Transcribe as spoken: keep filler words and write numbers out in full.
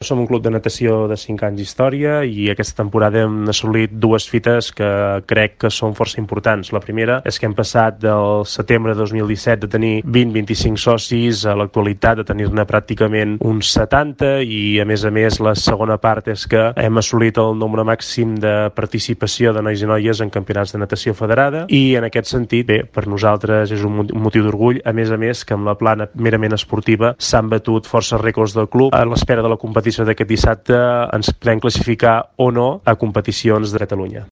Som un club de natació de cinc anys d'història i aquesta temporada hem assolit dues fites que crec que són força importants. La primera és que hem passat del setembre de dos mil disset de tenir vint a vint-i-cinc socis a l'actualitat de tenir-ne pràcticament uns setanta i a més a més la segona part és que hem assolit el nombre màxim de participació de nois i noies en campionats de natació federada i en aquest sentit, bé, per nosaltres és un motiu d'orgull, a més a més que amb la plana merament esportiva s'han batut força rècords del club. A l'espera de la competició d'aquest dissabte ens podem classificar o no a competicions de Catalunya.